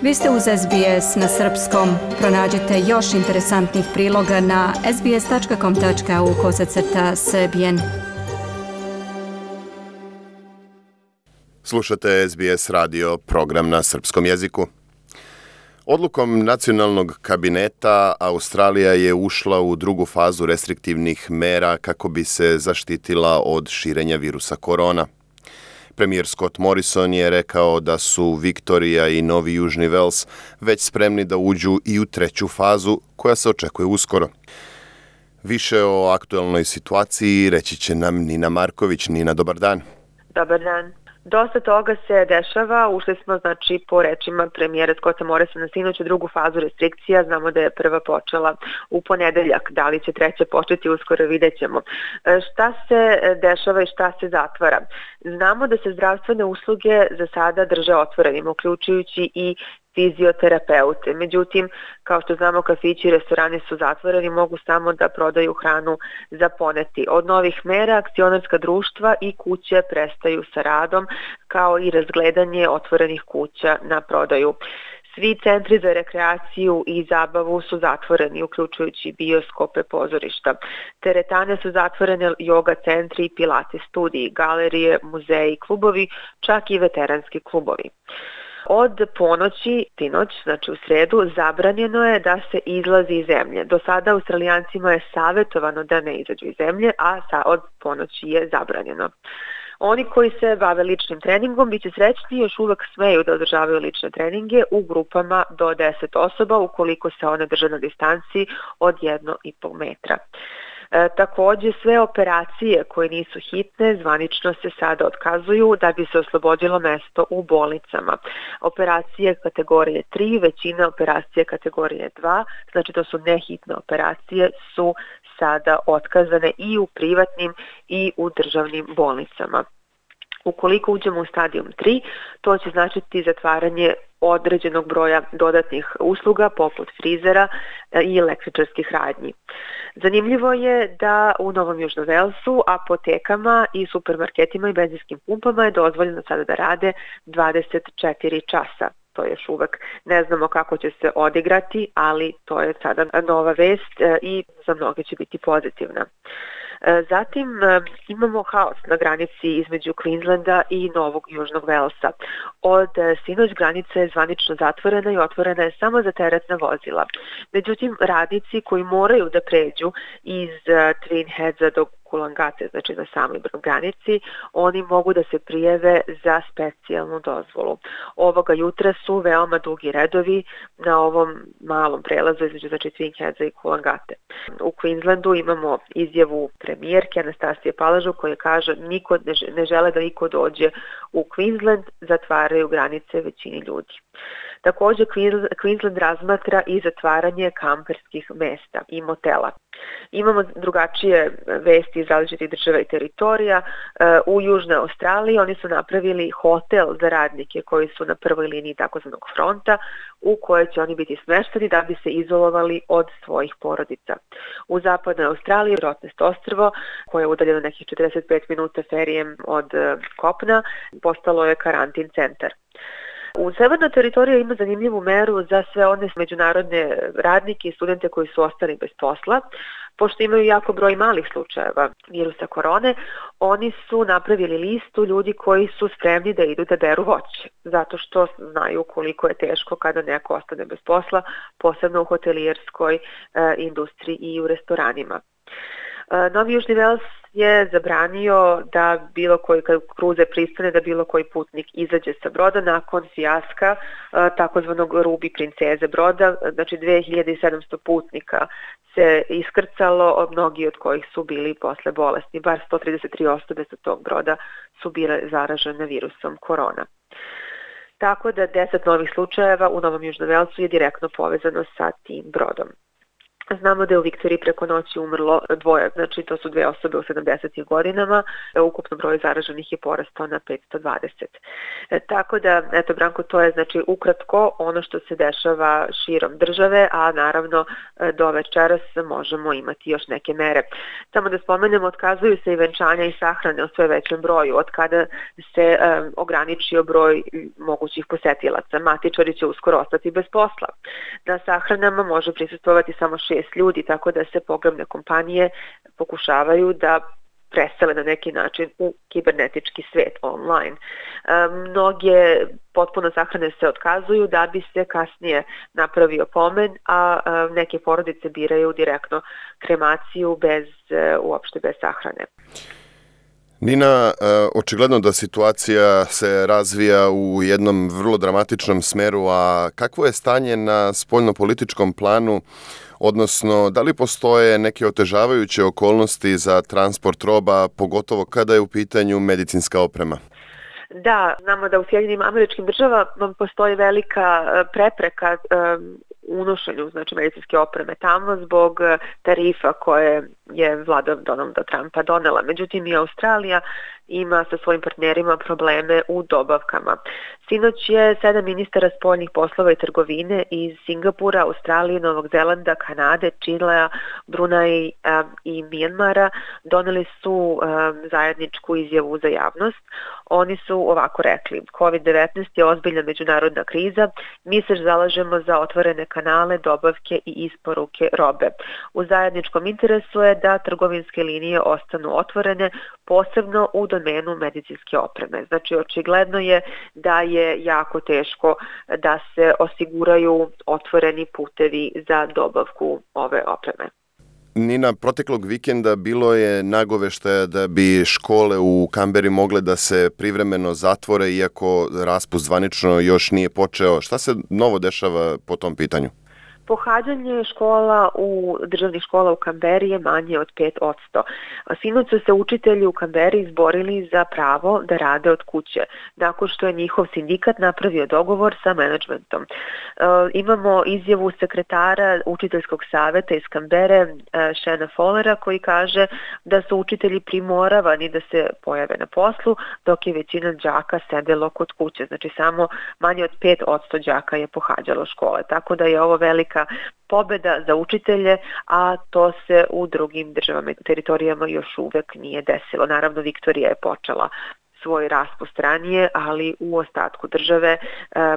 Vi ste uz SBS na srpskom. Pronađite još interesantnih priloga na sbs.com.au/srbijen. Slušate SBS radio, program na srpskom jeziku. Odlukom nacionalnog kabineta Australija je ušla u drugu fazu restriktivnih mera kako bi se zaštitila od širenja virusa korona. Premijer Scott Morrison je rekao da su Viktorija i Novi Južni Vels već spremni da uđu i u treću fazu koja se očekuje uskoro. Više o aktualnoj situaciji reći će nam Nina Marković. Nina, dobar dan. Dobar dan. Dosta toga se dešava, ušli smo po rečima premijera Scotta Morrisona sinoć u drugu fazu restrikcija, znamo da je prva počela u ponedeljak, da li će treća početi uskoro vidjet ćemo. Šta se dešava i šta se zatvara? Znamo da se zdravstvene usluge za sada drže otvorenim, uključujući i fizioterapeute. Međutim, kao što znamo, kafići i restorani su zatvoreni, mogu samo da prodaju hranu za poneti. Od novih mera akcionarska društva i kuće prestaju sa radom, kao i razgledanje otvorenih kuća na prodaju. Svi centri za rekreaciju i zabavu su zatvoreni, uključujući bioskope, pozorišta. Teretane su zatvorene, yoga centri i pilates studiji, galerije, muzeji, klubovi, čak i veteranski klubovi. Od ponoći, sinoć, u sredu, zabranjeno je da se izlazi iz zemlje. Do sada Australijancima je savjetovano da ne izađu iz zemlje, a od ponoći je zabranjeno. Oni koji se bave ličnim treningom biće srećni, još uvek smeju da održavaju lične treninge u grupama do 10 osoba ukoliko se one drže na distanci od 1,5 metra. Također sve operacije koje nisu hitne zvanično se sada otkazuju da bi se oslobodilo mesto u bolnicama. Operacije kategorije 3, većina operacije kategorije 2, znači to su nehitne operacije, su sada otkazane i u privatnim i u državnim bolnicama. Ukoliko uđemo u stadijum 3, to će značiti zatvaranje određenog broja dodatnih usluga poput frizera i električarskih radnji. Zanimljivo je da u Novom Južnom Velsu apotekama i supermarketima i benzinskim pumpama je dozvoljeno sada da rade 24 časa. To još uvek ne znamo kako će se odigrati, ali to je sada nova vest i za mnoge će biti pozitivna. Zatim imamo haos na granici između Queenslanda i Novog Južnog Velsa. Od sinoć granica je zvanično zatvorena i otvorena je samo za teretna vozila. Međutim, radnici koji moraju da pređu iz Twin Headsa do Kulangate, znači na samoj granici, oni mogu da se prijave za specijalnu dozvolu. Ovoga jutra su veoma dugi redovi na ovom malom prelazu između Twin Headsa i Kulangate. U Queenslandu imamo izjavu premijerke Anastasije Palažu koja kaže niko ne žele da niko dođe u Queensland, zatvaraju granice većini ljudi. Također Queensland razmatra i zatvaranje kamperskih mesta i motela. Imamo drugačije vesti iz različitih država i teritorija. U Južnoj Australiji oni su napravili hotel za radnike koji su na prvoj liniji takozvanog fronta u kojoj će oni biti smešteni da bi se izolovali od svojih porodica. U Zapadnoj Australiji, Rottnest ostrvo, koje je udaljeno nekih 45 minuta ferijem od kopna, postalo je karantin centar. U Severnoj teritoriji ima zanimljivu meru za sve one međunarodne radnike i studente koji su ostali bez posla. Pošto imaju jako broj malih slučajeva virusa korone, oni su napravili listu ljudi koji su spremni da idu da beru voće, zato što znaju koliko je teško kada neko ostane bez posla, posebno u hotelijerskoj industriji i u restoranima. Novi Južni Vels je zabranio da bilo koji, kad kruzer pristane, da bilo koji putnik izađe sa broda nakon fijaska takozvanog Ruby princeze broda. Znači 2700 putnika se iskrcalo, mnogi od kojih su bili posle bolesni. Bar 133 osobe sa tog broda su bile zaražene virusom korona. Tako da 10 novih slučajeva u Novom Južnom Velsu je direktno povezano sa tim brodom. Znamo da je u Viktoriji preko noći umrlo 2, znači to su 2 osobe u 70. godinama, ukupno broj zaraženih je porastao na 520. Tako da, eto Branko, to je znači ukratko ono što se dešava širom države, a naravno do večeras možemo imati još neke mere. Samo da spomenemo, otkazuju se i venčanja i sahrane u sve većem broju, od kada se ograničio broj mogućih posetilaca. Matičari će uskoro ostati bez posla. Na sahranama može prisustvovati samo 6 ljudi, tako da se pogrebne kompanije pokušavaju da presele na neki način u kibernetički svet online. Mnoge potpuno sahrane se otkazuju da bi se kasnije napravio pomen, a neke porodice biraju direktno kremaciju uopšte bez sahrane. Nina, očigledno da situacija se razvija u jednom vrlo dramatičnom smeru, a kakvo je stanje na spoljnopolitičkom planu, odnosno da li postoje neke otežavajuće okolnosti za transport roba, pogotovo kada je u pitanju medicinska oprema? Da, znamo da u Sjedinjenim Američkim Državama postoji velika prepreka unošenju znači medicinske opreme tamo zbog tarifa koje je vlada Donalda Trumpa donela. Međutim, i Australija ima sa svojim partnerima probleme u dobavkama. Sinoć je 7 ministara spoljnih poslova i trgovine iz Singapura, Australije, Novog Zelanda, Kanade, Čilea, Bruneja i Mijanmara doneli su zajedničku izjavu za javnost. Oni su ovako rekli: COVID-19 je ozbiljna međunarodna kriza, mi se zalažemo za otvorene kanale, dobavke i isporuke robe. U zajedničkom interesu je da trgovinske linije ostanu otvorene, posebno u domenu medicinske opreme. Znači, očigledno je da je jako teško da se osiguraju otvoreni putevi za dobavku ove opreme. Nina, proteklog vikenda bilo je nagoveštaja da bi škole u Kamberi mogle da se privremeno zatvore, iako raspust zvanično još nije počeo. Šta se novo dešava po tom pitanju? Pohađanje škola državnih škola u Kamberi je manje od 5%. Sinoć su se učitelji u Kamberi izborili za pravo da rade od kuće, nakon što je njihov sindikat napravio dogovor sa menadžmentom. Imamo izjavu sekretara učiteljskog saveta iz Kambere, Shana Fowlera, koji kaže da su učitelji primoravani da se pojave na poslu, dok je većina đaka sedelo kod kuće. Znači, samo manje od 5% đaka je pohađalo škole. Tako da je ovo velika pobeda za učitelje, a to se u drugim državama i teritorijama još uvek nije desilo. Naravno, Viktorija je počela svoj raspust ranije, ali u ostatku države,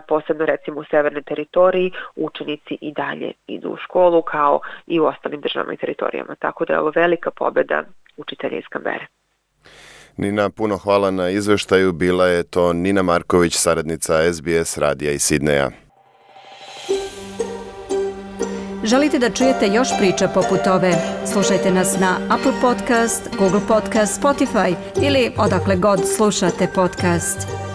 posebno recimo u severnoj teritoriji, učenici i dalje idu u školu kao i u ostalim državama i teritorijama. Tako da je ovo velika pobeda učitelja iz Kambere. Nina, puno hvala na izveštaju. Bila je to Nina Marković, saradnica SBS radija iz Sidneja. Želite da čujete još priča poput ove? Slušajte nas na Apple Podcast, Google Podcast, Spotify ili odakle god slušate podcast.